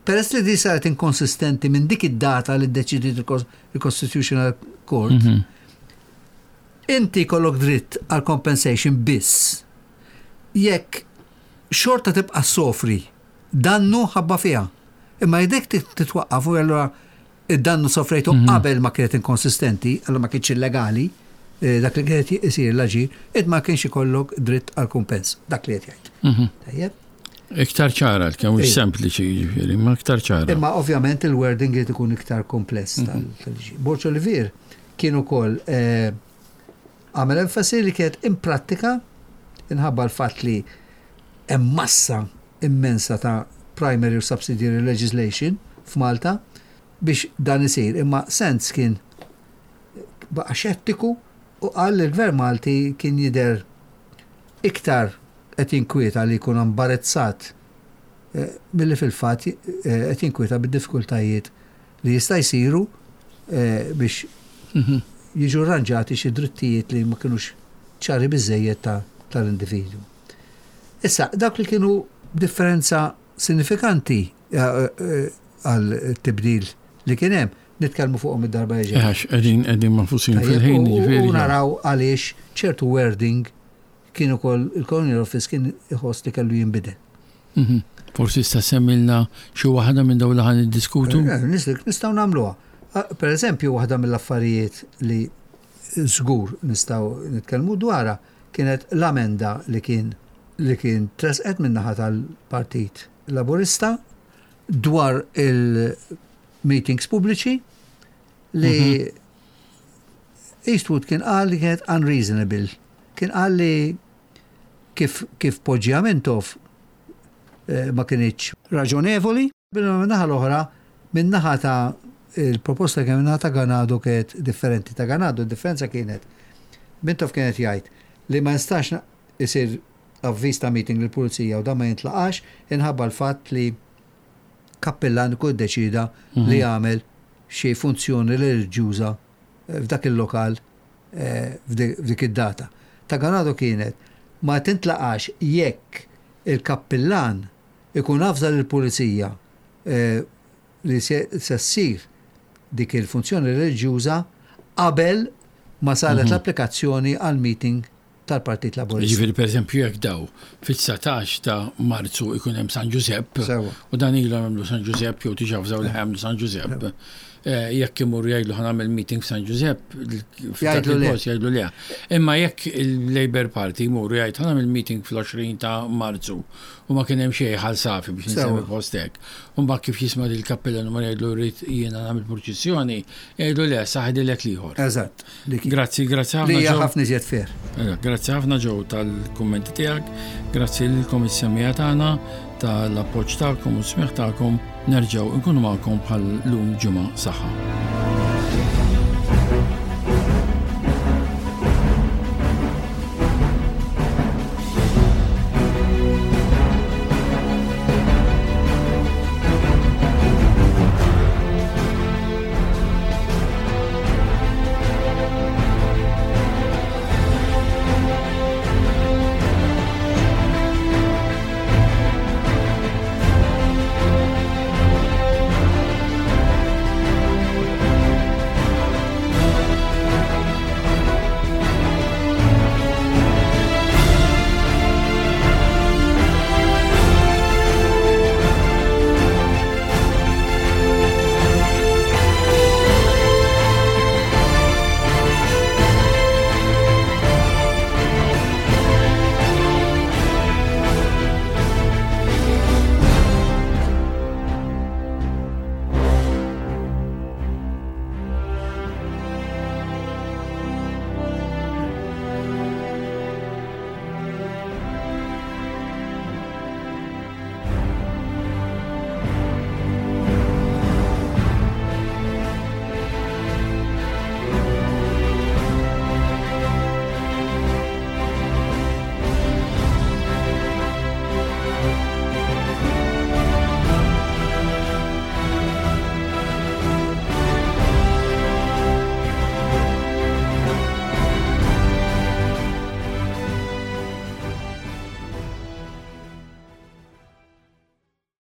Peress li di saret inkonsistenti minn dik id-data li ddeċidiet il-Constitutional Court, inti jkollok dritt għal compensation biss jekk xorta tibqa' ssofri dannu ħabba fiha. Imma jekk dik titwaqqaf u allura id-dannu sofrejtu qabel ma kienet inkonsistenti, allura ma kienx illegali, dak li kienet isir l-aġir, int ma kienx ikollok dritt għal kumpens, dak li qed jgħid. Tajjeb? Iktar ċara, kemm mhux sempliċi jiġifieri, ma iktar ċara. Imma ovvjament il-wording irid ikun iktar kompless tal-liġi. Borg Olivier kien ukoll għamel enfasi li kienet imprattika inħabba l-fatt li hemm massa immensa ta' primary u subsidiary legislation f'Malta biex dan isir. Imma Sands kien baqa' xettiku u qal li l-Gvern Malti kien jidher iktar qed jinkwieta li jkun imbarezzat milli fil-fatt qed jinkwieta bid-diffikultajiet li jista' jsiru biex jiġu rranġati xi drittijiet li ma kinux ċari biżżejjed tal-individwu. Issa, dawk li kienu differenza sinifikanti għal tibdil li kien hemm, nitkellmu fuqhom id-darba li ġejja. Għax qegħdin qegħdin mafusin fil-ħin, jiġifieri. U naraw għaliex ċertu wording kien ukoll il-Colonial Office kien iħoss li kellu jinbidel. Forsi sta semmilna xi waħda minn dawn li ħan niddiskutu? Nistgħu nagħmluha. Per eżempju, waħda mill-affarijiet li żgur nistgħu nitkellmu dwarha kienet l-amenda li kien li kien tresqet min-naħa tal-Partit Laburista dwar il-meetings pubbliċi li Eastwood kien qal li kienet unreasonable. Kien qal li kif kif poġġiha Mintoff ma kinitx raġonevoli. Min-naħa l-oħra, min-naħa ta' il-proposta kien min-naħa ta' Ganado kienet differenti. Ta' Ganado d-differenza kienet Mintoff kien qed jgħid li ma jistax isir avviż ta' meeting lill-pulizija u dan ma jintlaqax inħabba l-fatt li kappillan ikun iddeċieda li jagħmel xi funzjoni reliġjuża f'dak il-lokal f'dik id-data. Ta' Ganado kienet ma tintlaqax jekk il-kappillan ikun avża lill-pulizija li se ssir dik il-funzjoni reliġjuża qabel ma saret l-applikazzjoni għall-meeting tal-Partit Laburista. Jiġifieri pereżempju jekk daw fit-19 ta' Marzu ikun hemm San Ġużepp u dan ilhom jagħmlu San Ġużepp jew diġà avżaw li ħa jagħmlu San Ġużepp, jekk imorru jgħidlu ħa nagħmel meeting f'San Ġużepp, f'dak il-post jgħidlu le. Imma jekk il-Labour Party jmuru jgħid ħa nagħmel meeting fl-20 ta' Marzu u ma kien hemm xejn Ħal Safi biex insemmi post hekk. U mbagħad kif jisma' lil kappillan imur jgħidlu rrid jiena nagħmel purċissjoni, jgħidlu le, sa ħdilek l-ieħor. Eżatt. Grazzi, grazzi ħafna. Li hija ħafna iżjed fair. Grazzi ħafna Joe tal-kummenti tiegħek, grazzi lilkom is-semmiegħa tagħna tal-appoġġ tagħkom u s-smigħ tagħkom. Nerġgħu nkunu magħkom bħal lum ġimgħa saħħa.